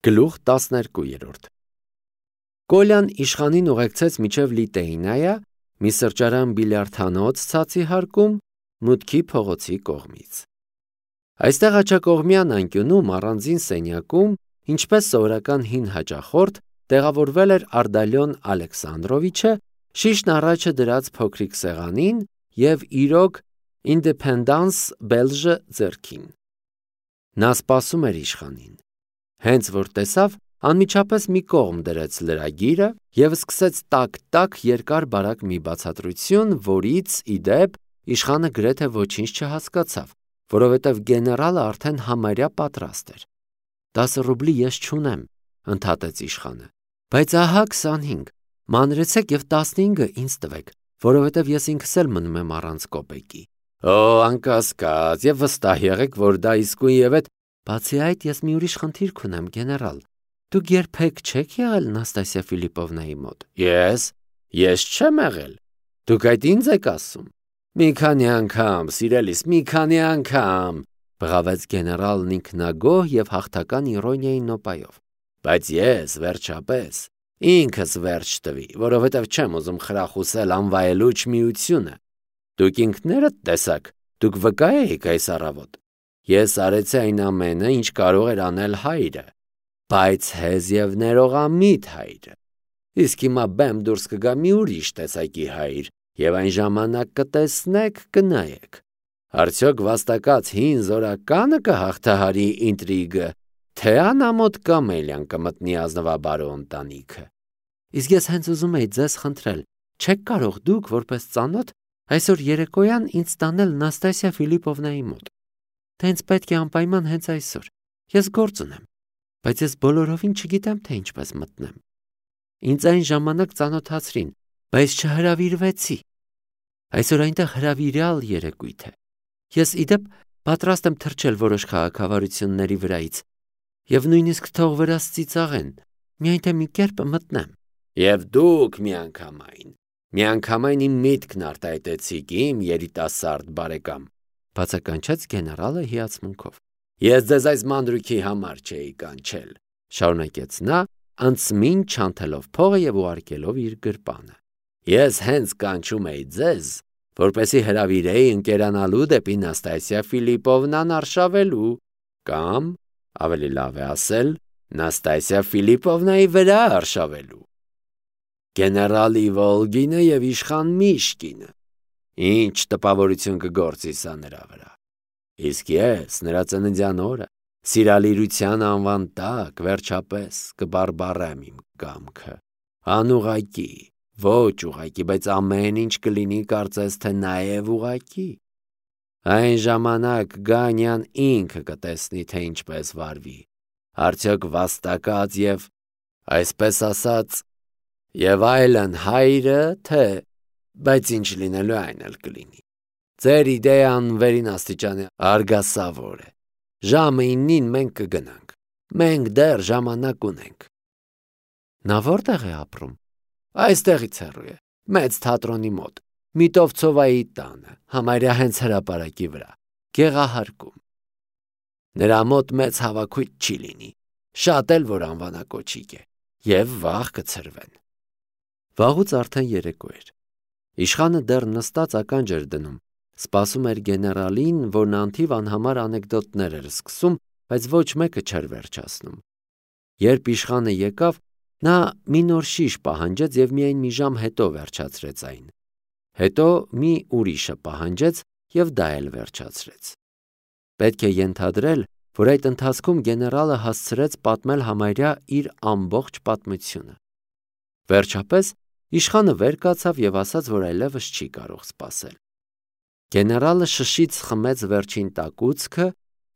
Գլուխ 12 Կոլյան իշխանին ուղեկցեց մինչև Լիտեյնայա, մի սրճարան բիլիարդանոց ցածի հարկում, մուտքի փողոցի կողմից։ Այստեղ աջակողմյան անկյունում առանձին սենյակում, ինչպես սովորական հին հաճախորդ, տեղավորվել էր Արդալյոն Ալեքսանդրովիչը, շիշն առաջը դրած փոքրիկ սեղանին և իրոք Independence Belge ձեռքին։ Նա սպասում էր իշխանին։ Հենց որ տեսավ, անմիջապես մի կողմ դրեց լրագիրը և սկսեց տակ-տակ երկար բարակ մի բացատրություն, որից, ի դեպ, իշխանը գրեթե ոչինչ չհասկացավ, որովհետև գեներալը արդեն համարյա պատրաստ էր։ 10 ռուբլի ես չունեմ, ընդհատեց իշխանը, բայց ահա 25, մանրեցեք և 15-ը ինձ տվեք, որովհետև ես ինքս էլ մնում եմ առանց կոպեկի։ Օ, անկասկած, և վստահ եղեք, որ դա իսկույնևեթ։ Բացի այդ, ես մի ուրիշ խնդիր կունեմ, գեներալ։ Դուք երբեք չեք եղել Նաստասիա Ֆիլիպովնայի մոտ։ Ես չեմ եղել։ Դուք այդ ինձ եք ասում։ Մի քանի անգամ, սիրելիս, մի քանի անգամ, բղավեց գեներալն ինքնագոհ և հաղթական իրոնիայի նոպայով։ Բայց ես, վերջապես, ինքս վերջ տվի, որովհետև չեմ ուզում խրախուսել անվայելուչ միությունը։ Դուք ինքներդ տեսաք, դուք վկա էիք այս առավոտ։ Ես արեցի այն ամենը, ինչ կարող էր անել հայրը, բայց հեզ և ներողամիտ հայրը։ Իսկ հիմա բեմ դուրս կգա մի ուրիշ տեսակի հայր, և այն ժամանակ կտեսնեք, կնայեք։ Արդյոք վաստակած հին զորականը կհաղթահարի ինտրիգը, թե անամոթ կամելյան կմտնի ազնվաբարո ընտանիքը։ Իսկ ես հենց ուզում էի ձեզ խնդրել, չեք կարող դուք, որպես ծանոթ, այսօր երեկոյան ինձ տանել Նաստասիա Ֆիլիպովնայի մոտ։ Թե ինձ պետք է անպայման հենց այսօր։ Ես գործ ունեմ, բայց ես բոլորովին չգիտեմ, թե ինչպես մտնեմ։ Ինձ այն ժամանակ ծանոթացրին, բայց չհրավիրվեցի։ Այսօր այնտեղ հրավիրյալ երեկույթ է։ Ես ի դեպ պատրաստ եմ թռչել որոշ քաղաքավարությունների վրայից և նույնիսկ թող վրաս ծիծաղեն, միայն թե մի կերպ մտնեմ։ Եվ դուք միանգամայն իմ միտքն արտահայտեցիք, իմ երիտասարդ բարեկամ, բացականչեց գեներալը հիացմունքով։ Ես ձեզ այս մանրուքի համար չէի կանչել, շարունակեց նա, անցմին չանթելով փողը և ուղարկելով իր գրպանը։ Ես հենց կանչում էի ձեզ, որպեսզի հրավիրեի ընկերանալու դեպի Նաստասիա Ֆիլիպովնան արշավելու, կամ, ավելի լավ է ասել, Նաստասիա Ֆիլիպովնայի վրա արշավելու։ Գեներալի Վոլգինը և իշխան Միշկինը, ինչ տպավորություն կգործի սա նրա վրա։ Իսկ ես, նրա ծննդյան օրը, սիրալիրության անվան տակ, վերջապես, կբարբառեմ իմ կամքը։ Անուղղակի, ոչ ուղղակի, բայց ամեն ինչ կլինի կարծես թե նաև ուղղակի։ Այն ժամանակ Գանյան ինքը կտեսնի, թե ինչպես վարվի, արդյոք վաստակած և, այսպես ասած, և այլն հայրը, թե, բայց ինչ լինելու այն էլ կլինի։ Ձեր իդեան վերին աստիճանի արգասավոր է։ Ժամը 9-ին մենք կգնանք։ Մենք դեռ ժամանակ ունենք։ Նա որտեղ է ապրում։ Այստեղից հեռու է, մեծ թատրոնի մոտ, Միտովցովայի տանը, համարյա հենց հրապարակի վրա, գեղահարկում։ Նրա մոտ մեծ հավաքույթ չի լինի, շատ էլ որ անվանակոչիկ է, և վաղ կցրվեն։ Վաղուց արդեն երեկո էր։ Իշխանը դեռ նստած ականջ էր դնում, սպասում էր գեներալին, որն անթիվ անհամար անեկդոտներ էր սկսում, բայց ոչ մեկը չէր վերջացնում։ Երբ իշխանը եկավ, նա մի նոր շիշ պահանջեց և միայն մի ժամ հետո վերջացրեց այն։ Հետո մի ուրիշը պահանջեց և դա էլ վերջացրեց։ Պետք է ենթադրել, որ այդ ընթացքում գեներալը հասցրեց պատմել համարյա իր ամբողջ պատմությունը։ Վերջապես իշխանը վեր կացավ և ասաց, որ այլևս չի կարող սպասել։ Գեներալը շշից խմեց վերջին տակուցքը,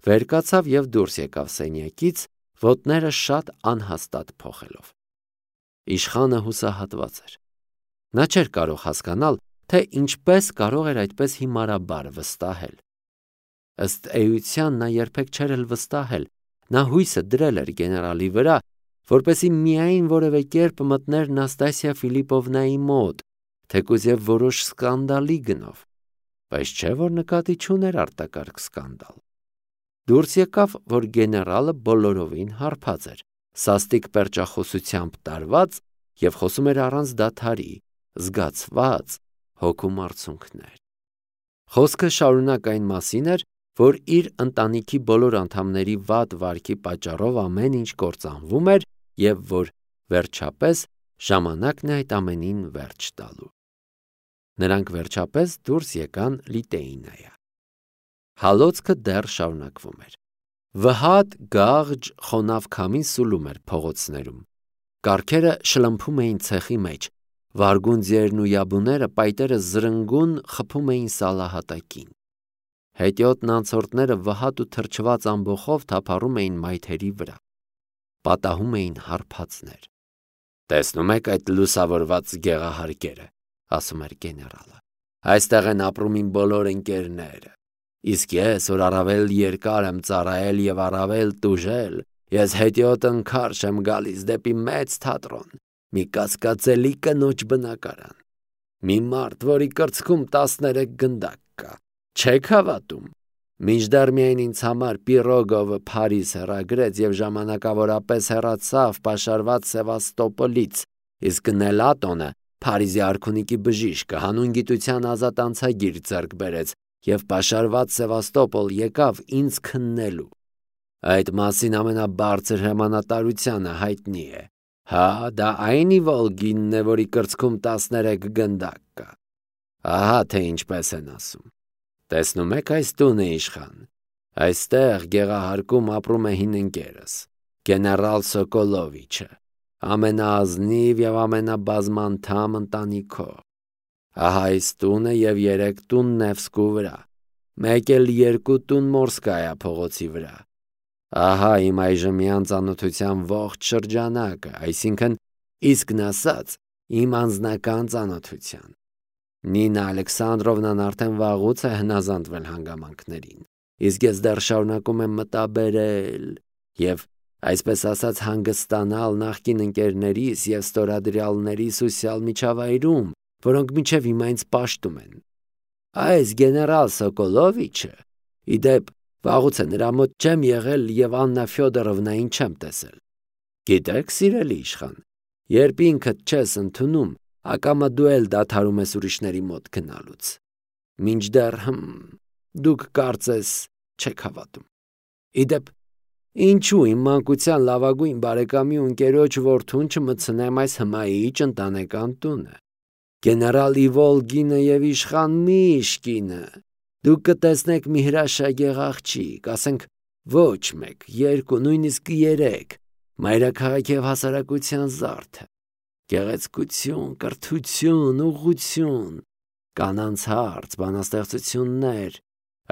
վեր կացավ և դուրս եկավ սենյակից, ոտները շատ անհաստատ փոխելով։ Իշխանը հուսահատված էր։ Նա չէր կարող հասկանալ, թե ինչպես կարող էր այդպես հիմարաբար վստահել։ Ըստ էության նա երբեք չէր էլ վստահել, նա հույսը դրել էր գեներալի վրա, որպեսզի միայն որևէ կերպ մտներ Նաստասիա Ֆիլիպովնայի մոտ, թեկուզ և որոշ սկանդալի գնով, բայց չէ որ նկատի չուներ արտակարգ սկանդալ։ Դուրս եկավ, որ գեներալը բոլորովին հարբած էր, սաստիկ պերճախոսությամբ տարված և խոսում էր առանց դադարի, զգացված հոգու մարցունքներ։ Խոսքը շարունակ այն մասին էր, որ իր ընտանիքի բոլոր անդամների վատ վարքի պատճառով ամեն ինչ կործանվում էր և որ վերջապես ժամանակն է այդ ամենին վերջ տալու։ Նրանք վերջապես դուրս եկան Լիտեինայա։ Հալոցքը դեռ շարունակվում էր։ Վհատ գաղջ խոնավ քամին սուլում էր փողոցներում։ Կառքերը շլմփում էին ցեխի մեջ, վարգուն ձիերն ու յաբուները պայտերը զրնգուն խփում էին սալահատակին։ Հետիոտն անցորդները վհատ ու թրջված ամբոխով թափառում էին մայթերի վրա։ Պատահում էին հարբածներ։ «Տեսնում եք այդ լուսավորված գեղահարկերը», ասում էր գեներալը։ «Այստեղ են ապրում իմ բոլոր ընկերները։ Իսկ ես, որ առավել երկար եմ ծառայել և առավել տուժել, ես հետիոտ ընքարշ եմ գալիս դեպի մեծ թատրոն, մի կասկածելի կնոջ բնակարան։ Մի մարդ, որի կրծքում 13 գնդակ կա, չեք հավատում։ Մինչդեռ միայն ինձ համար Պիրոգովը Փարիզ հեռագրեց և ժամանակավորապես հեռացավ պաշարված Սևաստոպոլից, իսկ Նելատոնը Փարիզի արքունիքի բժիշկը հանուն գիտության ազատ անցագիր ձեռք բերեց և պաշարված Սևաստոպոլ եկավ ինձ քննելու։ Այդ մասին ամենաբարձր հրամանատարությանը հայտնի է։ Հա, դա այն Իվոլգինն է, որի կրծքում 13 գնդակ կա։ Ահա թե ինչպես են ասում։ Տեսնում եք այս տունը, իշխան։ Այստեղ գեղահարկում ապրում է հին ընկերս, գեներալ Սոկոլովիչը, ամենաազնիվ և ամենաբազմանդամ ընտանիքով։ Ահա այս տունը և 3 տուն Նևսկու վրա, մեկ էլ 2 տուն Մորսկայա փողոցի վրա։ Ահա իմ այժմյան ծանոթության ողջ շրջանակը, այսինքն իսկն ասած, իմ անձնական ծանոթության։ Նինա Ալեքսանդրովնան արդեն վաղուց է հնազանդվել հանգամանքներին, իսկ ես դեռ շարունակում եմ մտաբերել և, այսպես ասած, հանգստանալ նախկին ընկերներիս և ստորադրյալներիս ուսյալ միջավայրում, որոնք մինչև հիմա ինձ պաշտում են։ Այս գեներալ Սոկոլովիչը, ի դեպ, վաղուց է նրա մոտ չեմ եղել և Աննա Ֆյոդորովնային չեմ տեսել։ Գիտեք, սիրելի իշխան, երբ ինքդ չես ընդունում, ակամա դու էլ դադարում ես ուրիշների մոտ գնալուց։ Մինչդեռ դուք կարծես չեք հավատում։ Ի դեպ, ինչու իմ մանկության լավագույն բարեկամի ու ընկերոջ որդուն չմտցնեմ այս հմայիչ ընտանեկան տունը։ Գեներալ Իվոլգինը և իշխան Միշկինը, դուք կտեսնեք մի հրաշագեղ աղջիկ, ասենք ոչ 1, 2, նույնիսկ 3, մայրաքաղաքի և հասարակության զարդը, գեղեցկություն, կրթություն, ուղղություն, կանանց հարց, բանաստեղծություններ,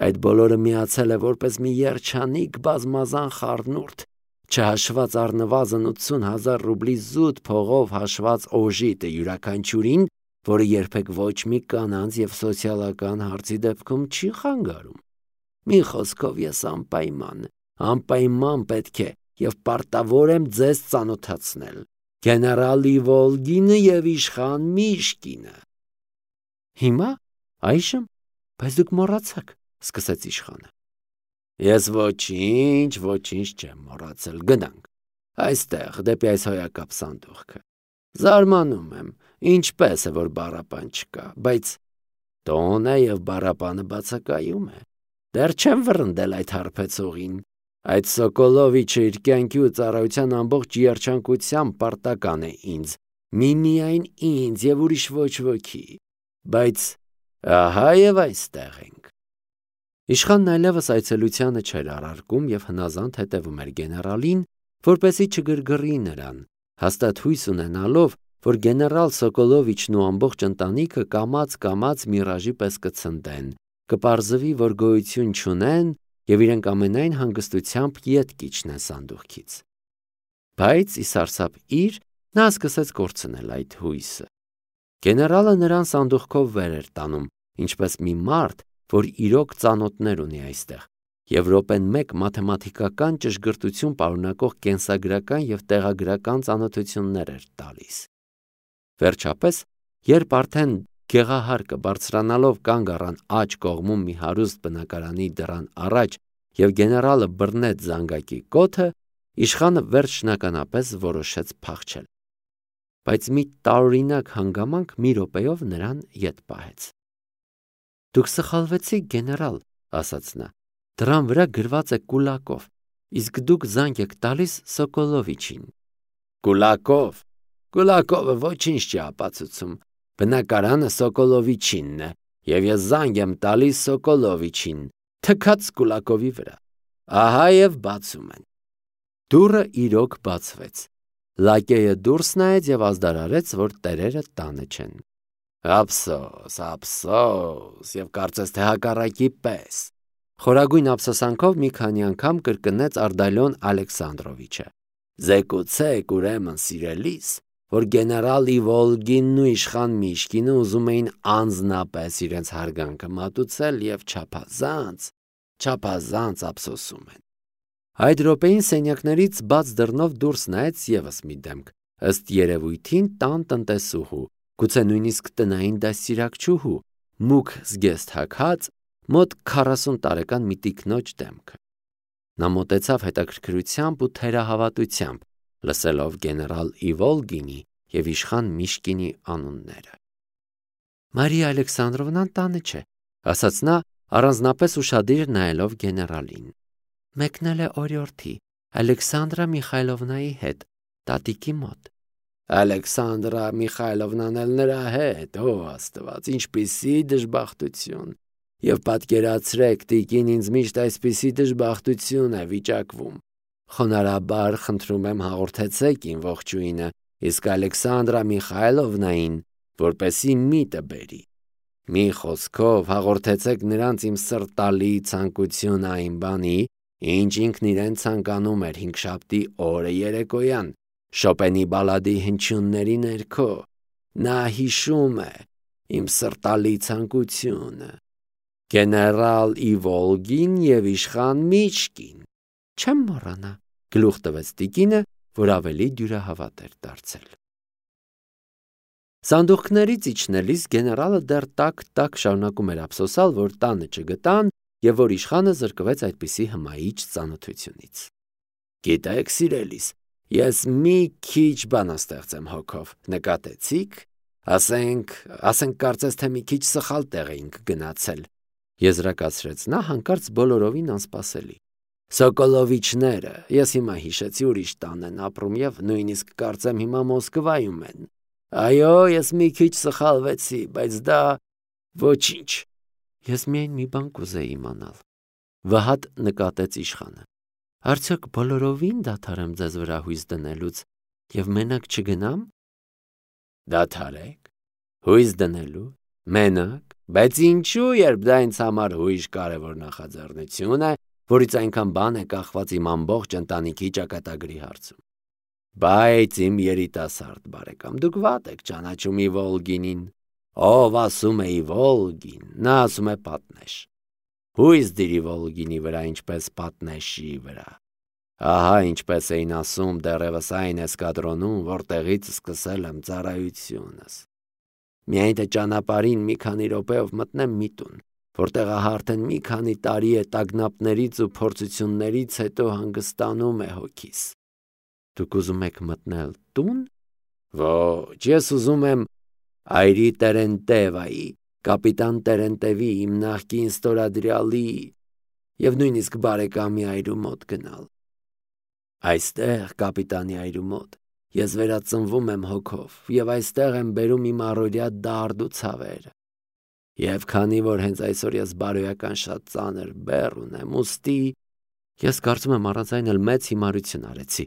այդ բոլորը միացել է որպես մի երջանիկ բազմազան խառնուրդ, չհաշված առնվազն 80,000 ռուբլի զուտ փողով հաշված օժիտը յուրաքանչյուրին, որը երբեք ոչ մի կանանց և սոցիալական հարցի դեպքում չի խանգարում։ Մի խոսքով ես անպայման պետք է և պարտավոր եմ ձեզ ծանոթացնել գեներալ Իվոլգինը և իշխան Միշկինը։ Հիմա, այժմ, բայց դուք մոռացաք, սկսեց իշխանը։ Ես ոչինչ չեմ մոռացել, գնանք, այստեղ, դեպի այս հոյակապ սանդուղքը։ Զարմանում եմ, ինչպես է, որ բառապան չկա, բայց տոն է և բառապանը բացակայում է։ Դեռ չեմ վռնդել այդ հարբեցողին։ Այդ Սոկոլովիչը իր կյանքի ու ծառայության ամբողջ երջանկությամբ պարտական է ինձ, միմիայն ինձ և ուրիշ ոչ ոքի, բայց ահա և այստեղ ենք։ Իշխանն այլևս այցելությանը չէր առարկում և հնազանդ հետևում էր գեներալին, որպեսզի չգրգռի նրան, հաստատ հույս ունենալով, որ գեներալ Սոկոլովիչն ու ամբողջ ընտանիքը կամաց միրաժի պես կցնդեն, կպարզվի, որ գոյություն չունեն և իրենք ամենայն հանգստությամբ ետ կիջնեն սանդուղքից։ Բայց ի սարսափ իր նա սկսեց կորցնել այդ հույսը։ Գեներալը նրան սանդուղքով վեր էր տանում, ինչպես մի մարդ, որ իրոք ծանոթներ ունի այստեղ, և րոպեն մեկ մաթեմատիկական ճշգրտություն պարունակող կենսագրական և տեղագրական ծանոթություններ էր տալիս։ Վերջապես, երբ արդեն գեղահարկը բարձրանալով կանգ առան աջ կողմում մի հարուստ բնակարանի դռան առաջ և գեներալը բռնեց զանգակի կոթը, Իշխանը վերջնականապես որոշեց փախչել, բայց մի տարօրինակ հանգամանք մի րոպեով նրան ետ պահեց։ «Դուք սխալվեցիք, գեներալ», ասաց նա, «դրան վրա գրված է Կուլակով, իսկ դուք զանգ եք տալիս Սոկոլովիչին»։ «Կուլակով? Կուլակովը ոչինչ չի ապացուցում, բնակարանը Սոկոլովիչինն է, և ես զանգ եմ տալիս Սոկոլովիչին, թքած Կուլակովի վրա։ Ահա և բացում են»։ Դուռը իրոք բացվեց։ Լակեյը դուրս նայեց և ազդարարեց, որ տերերը տանը չեն։ «Ափսոս, ափսոս, և կարծես թե հակառակի պես», խորագույն ափսոսանքով մի քանի անգամ կրկնեց Ардալիոն Ալեքսանդրովիչը։ «Զեկուցեք, ուրեմն, սիրելիս, որ գեներալ Իվոլգինն ու իշխան Միշկինը ուզում էին անձնապես իրենց հարգանքը մատուցել և չափազանց ափսոսում են»։ Այդ րոպեին սենյակներից բաց դռնով դուրս նայեց ևս մի դեմք, ըստ երևույթին տան տնտեսուհու, գուցե նույնիսկ տնային դաստիարակչուհու, մուգ զգեստ հագած, մոտ 40 տարեկան մի տիկնոջ դեմքը։ Նա մոտեցավ հետաքրքրությամբ ու թերահավատությամբ, լսելով գեներալ Իվոլգինի և իշխան Միշկինի անունները։ «Մարիա Ալեքսանդրովնան տանը չէ», ասաց նա, առանձնապես ուշադիր նայելով գեներալին։ «Մեկնել է օրիորդի, Ալեքսանդրա Միխայլովնայի հետ, տատիկի մոտ»։ «Ալեքսանդրա Միխայլովնան էլ նրա հետ, ո Աստված, ինչպիսի դժբախտություն, և պատկերացրեք, տիկին ինձ միշտ այսպիսի դժբախտություն է վիճակվում։ Խոնարհաբար խնդրում եմ հաղորդեցեք իմ ողջույնը, իսկ Ալեքսանդրա Միխայլովնային, որպեսզի միտը բերի։ Մի խոսքով հաղորդեցեք նրանց իմ սրտալի ցանկությունը այն բանի, ինչ ինքն իրեն ցանկանում էր հինգշաբթի օրը երեկոյան, Շոպենի բալադի հնչյունների ներքո։ Նա հիշում է իմ սրտալի ցանկությունը։ Գեներալ Իվոլգին և իշխան Միշկին։ Չեմ մոռանա, գլուխ տվեց տիկինը, որ ավելի դյուրահավատ էր դարձել։ Սանդուղքներից իջնելիս գեներալը դեռ տակ շարունակում էր ափսոսալ, որ տանը չգտան և որ իշխանը զրկվեց այդպիսի հմայիչ ծանոթությունից։ «Գիտեք, սիրելիս, ես մի քիչ բանաստեղծ եմ հոգով, նկատեցի՞ք։ Ասենք կարծես թե մի քիչ սխալ տեղ էինք գնացել», եզրակացրեց նա հանկարծ բոլորովին անսպասելի։ «Սոկոլովիչները, ես հիմա հիշեցի, ուրիշ տան են ապրում և նույնիսկ կարծեմ հիմա Մոսկվայում են։ Այո, ես մի քիչ սխալվեցի, բայց դա ոչինչ»։ «Ես միայն մի բան կուզեի իմանալ», վհատ նկատեց իշխանը։ «Արդյոք բոլորովին դադարեմ ձեզ վրա հույս դնելուց և մենակ չգնամ»։ «Դադարեք։ Հույս դնելու։ Մենակ։ Բայց ինչու, երբ դա ինձ համար հույժ կարևոր նախաձեռնություն է, որից այնքան բան է կախված իմ ամբողջ ընտանիքի ճակատագրի հարցում։ Բայց իմ երիտասարդ բարեկամ, դուք վատ եք ճանաչում Իվոլգինին։ Ով ասում է Իվոլգին, նա ասում է պատնեշ։ Հույս դիր Իվոլգինի վրա, ինչպես պատնեշի վրա։ Ահա ինչպես էին ասում դեռևս այն էսկադրոնում, որտեղից սկսել եմ ծառայությունս։ Միայն թե ճանապարհին մի քանի րոպեով մտնեմ մի տուն, որտեղ ահա արդեն մի քանի տարի է տագնապներից ու փորձություններից հետո հանգստանում է հոգիս։ Դուք ուզում եք մտնել տուն։ Ոչ, ես ուզում եմ այրի Տերենտևայի, կապիտան Տերենտևի, իմ նախկին ստորադրյալի և նույնիսկ բարեկամի այրու մոտ գնալ։ Այստեղ, կապիտանի այրու մոտ, ես վերածնվում եմ հոգով և այստեղ եմ բերում իմ առօրյա դարդ ու ցավերը։ Եվ քանի որ հենց այսօր ես բարոյական շատ ծանր բեռ ունեմ, ուստի ես կարծում եմ առանց այն էլ մեծ հիմարություն արեցի,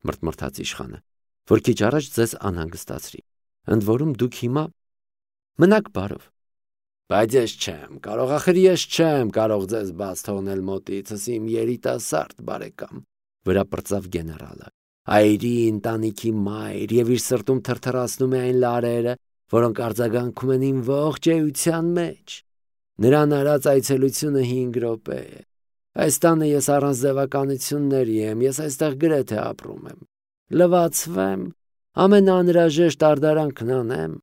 մրթմրթաց իշխանը, որ քիչ առաջ ձեզ անհանգստացրի։ Ընդ որում դուք հիմա մնաք բարով։ Բայց ես չեմ կարող ձեզ բաց թողնել մոտիցս, իմ երիտասարդ բարեկամ, վրա պրծավ գեներալը։ Այրի ընտանիքի մայր և իր սրտում թրթռացնում է այն լարերը, որոնք արձագանքում են իմ ողջ էության մեջ։ Նրան արած այցելությունը 5 րոպե է։ Այս տանը ես առանց ձևականությունների եմ, ես այստեղ գրեթե ապրում եմ։ Լվացվեմ, ամենաանհրաժեշտ արդարանքն անեմ,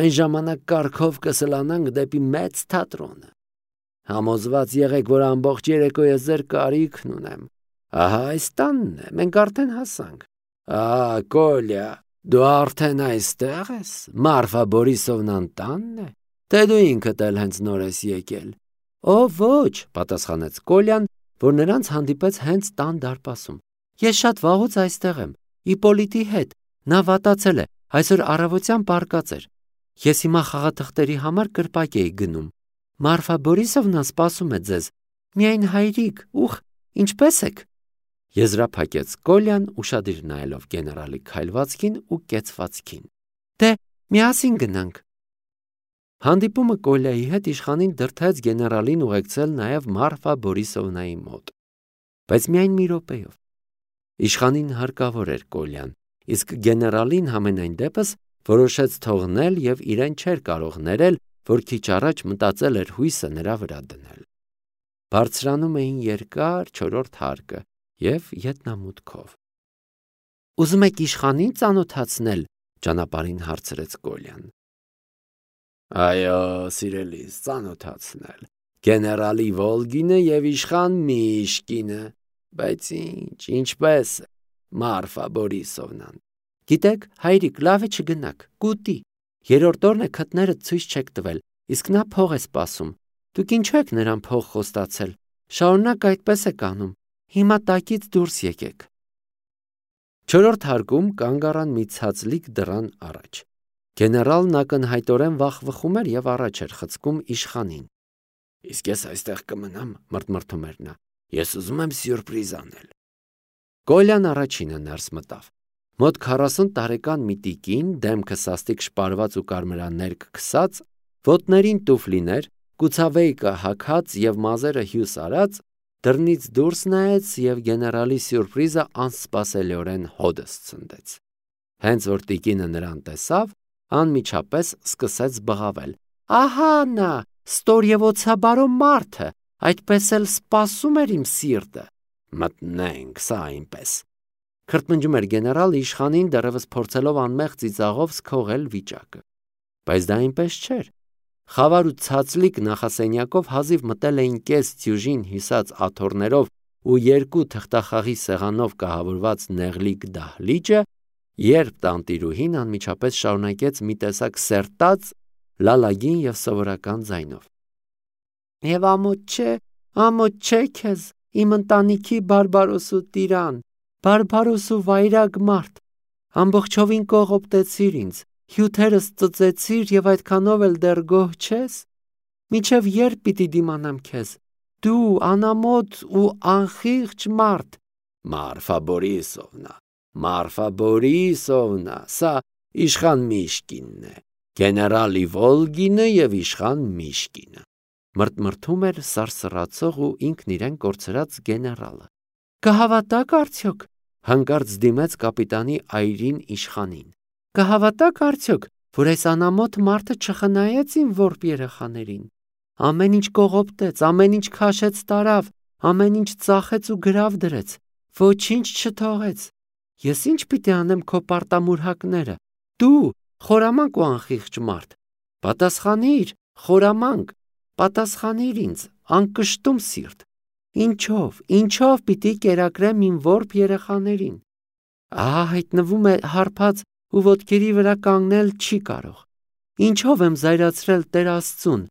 այն ժամանակ կառքով կսլանանք դեպի մեծ թատրոնը։ Համոզված եղեք, որ ամբողջ երեկո ես ձեր կարիքն ունեմ։ Ահա այս տանն է, մենք արդեն հասանք։ Կոլյա, դու արդեն այստեղ ես, Մարֆա Բորիսովնան տանն է, թե դու ինքդ էլ հենց նոր ես եկել։ Ոչ, պատասխանեց Կոլյան, որ նրանց հանդիպեց հենց տան դարպասում։ Ես շատ վաղուց այստեղ եմ, Իպոլիտի հետ, նա վատացել է, այսօր առավոտյան պառկած էր։ Ես հիմա խաղաթղթերի համար կրպակ էի գնում։ Մարֆա Բորիսովնան սպասում է ձեզ։ Միայն հայրիկ, ինչպե՞ս եք։ Եզրափակեց Կոլյան, ուշադիր նայելով գեներալի քայլվածքին ու կեցվածքին։ Դե, միասին գնանք։ Հանդիպումը Կոլյայի հետ իշխանին դրդեց գեներալին ուղեկցել նաև Մարֆա Բորիսովնայի մոտ։ Բայց միայն մի րոպեով։ Իշխանին հարկավոր էր Կոլյան, իսկ գեներալին համենայն դեպս որոշեց թողնել և իրեն չէր կարող ներել, որ քիչ առաջ մտածել էր հույսը նրա վրա դնել։ Բարձրանում էին երկար չորրորդ հարկը և ետնամուտքով։ Ուզում եք իշխանին ծանոթացնել, ճանապարհին հարցրեց Կոլյան։ Այո, սիրելիս, ծանոթացնել։ Գեներալի Վոլգինը և իշխան Միշկինը, բայց ինչպես է, Մարֆա Բորիսովնան։ Գիտեք, հայրիկ, լավ է չգնաք, կուտի։ Երրորդ օրն է քթները ցույց չեք տվել, իսկ նա փող է սպասում։ Դուք ինչու եք նրան փող խոստացել։ Շարունակ այդպես եք անում։ Հիմա տակից դուրս եկեք։ Չորրորդ հարկում կանգ առան մի ցածլիկ դռան առաջ։ Գեներալն ակնհայտորեն վախվխում էր և առաջ էր խցկում իշխանին։ Իսկ ես այստեղ կմնամ, մռթմռթում էր նա։ Ես ուզում եմ սյուրպրիզ անել։ Կոլյան առաջինը ներս մտավ։ Մոտ 40 տարեկան մի տիկին, դեմքը սաստիկ շպարված ու կարմրաններկ քսած, ոտներին տուֆլիներ, կուցավեյկը հագած և մազերը հյուս արած, դռնից դուրս նայեց և գեներալի սյուրպրիզը անսպասելիորեն հոդս ցնդեց։ Հենց որ տիկինը նրան տեսավ, անմիջապես սկսեց բղավել. Ահա նա, ստորևոցաբարո մարդը, այդպես էլ սպասում էր իմ սիրտը։ Մտնենք, սա այնպես։ Քրթմնջում էր գեներալը իշխանին դեռևս փորձելով անմեղ ծիծաղով սքողել վիճակը։ Բայց դա այնպես չէր։ Խավար ու ցածլիկ նախասենյակով հազիվ մտել էին կես դյուժին հյուսած աթոռներով ու երկու թղթախաղի սեղանով կահավորված նեղլիկ դահլիճը, երբ տանտիրուհին անմիջապես շարունակեց մի տեսակ սերտած, լալագին և սովորական ձայնով. Եվ ամոթ չէ քեզ, իմ ընտանիքի բարբարոսու տիրան, բարբարոսու վայրագ մարդ, ամբողջովին կողոպտեցիր ինձ, հյութերս ծծեցիր և այդքանով էլ դեռ գոհ չես, մինչև երբ պիտի դիմանամ քեզ, դու անամոթ ու անխիղճ մարդ։ Մարֆա Բորիսովնա, սա իշխան Միշկինն է, գեներալի Վոլգինը և իշխան Միշկինը։ Մռթմռթում էր սարսռացող ու ինքն իրեն կորցրած գեներալը։ Կհավատաք արդյոք, հանկարծ դիմեց կապիտանի այրին իշխանին։ Կհավատաք արդյոք, որ այս անամոթ մարդը չխնայեց իմ որբ երեխաներին։ Ամեն ինչ կողոպտեց, ամեն ինչ քաշեց տարավ, ամեն ինչ ծախեց ու գրավ դրեց, ոչինչ չթողեց։ Ես ինչ պիտի անեմ քո պարտամուրհակները։ Դու, խորամանկ ու անխիղճ մարդ, պատասխանիր, խորամանկ, պատասխանիր ինձ, անկշտում սիրտ։ Ինչով պիտի կերակրեմ իմ որբ երեխաներին։ Հայտնվում է հարբած ու ոտքերի վրա կանգնել չի կարող։ Ինչով եմ զայրացրել Տեր Աստծուն,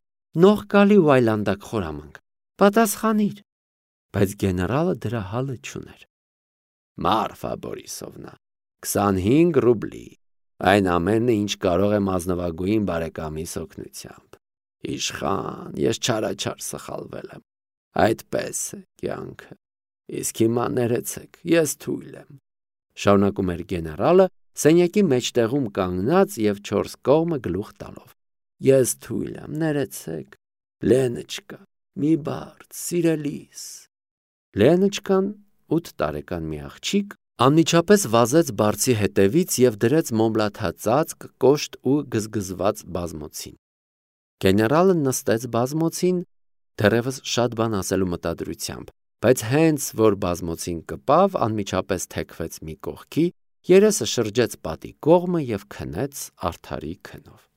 նողկալի ու այլանդակ խորամանկ։ Պատասխանիր։ Բայց գեներալը դրա հալը չուներ։ Մարֆա Բորիսովնա, 25 ռուբլի, այն ամենը, ինչ կարող եմ ազնվագույն բարեկամիս օգնությամբ։ Իշխան, ես չարաչար սխալվել եմ։ Այդպես է կյանքը։ Իսկ հիմա ներեցեք, ես թույլ եմ։ Շարունակում էր գեներալը, սենյակի մեջտեղում կանգնած և 4 կողմը գլուխ տալով։ Ես թույլ եմ, ներեցեք։ Լենոչկա, մի բարդ, սիրելիս։ Լենոչկան, 8 տարեկան մի աղջիկ, անմիջապես վազեց բարձի հետևից և դրեց մոմլաթածածկ, կոշտ ու գզգզված բազմոցին։ Գեներալը նստեց բազմոցին, դեռևս շատ բան ասելու մտադրությամբ, բայց հենց որ բազմոցին կպավ, անմիջապես թեքվեց մի կողքի, երեսը շրջեց պատի կողմը և քնեց արդարի քնով։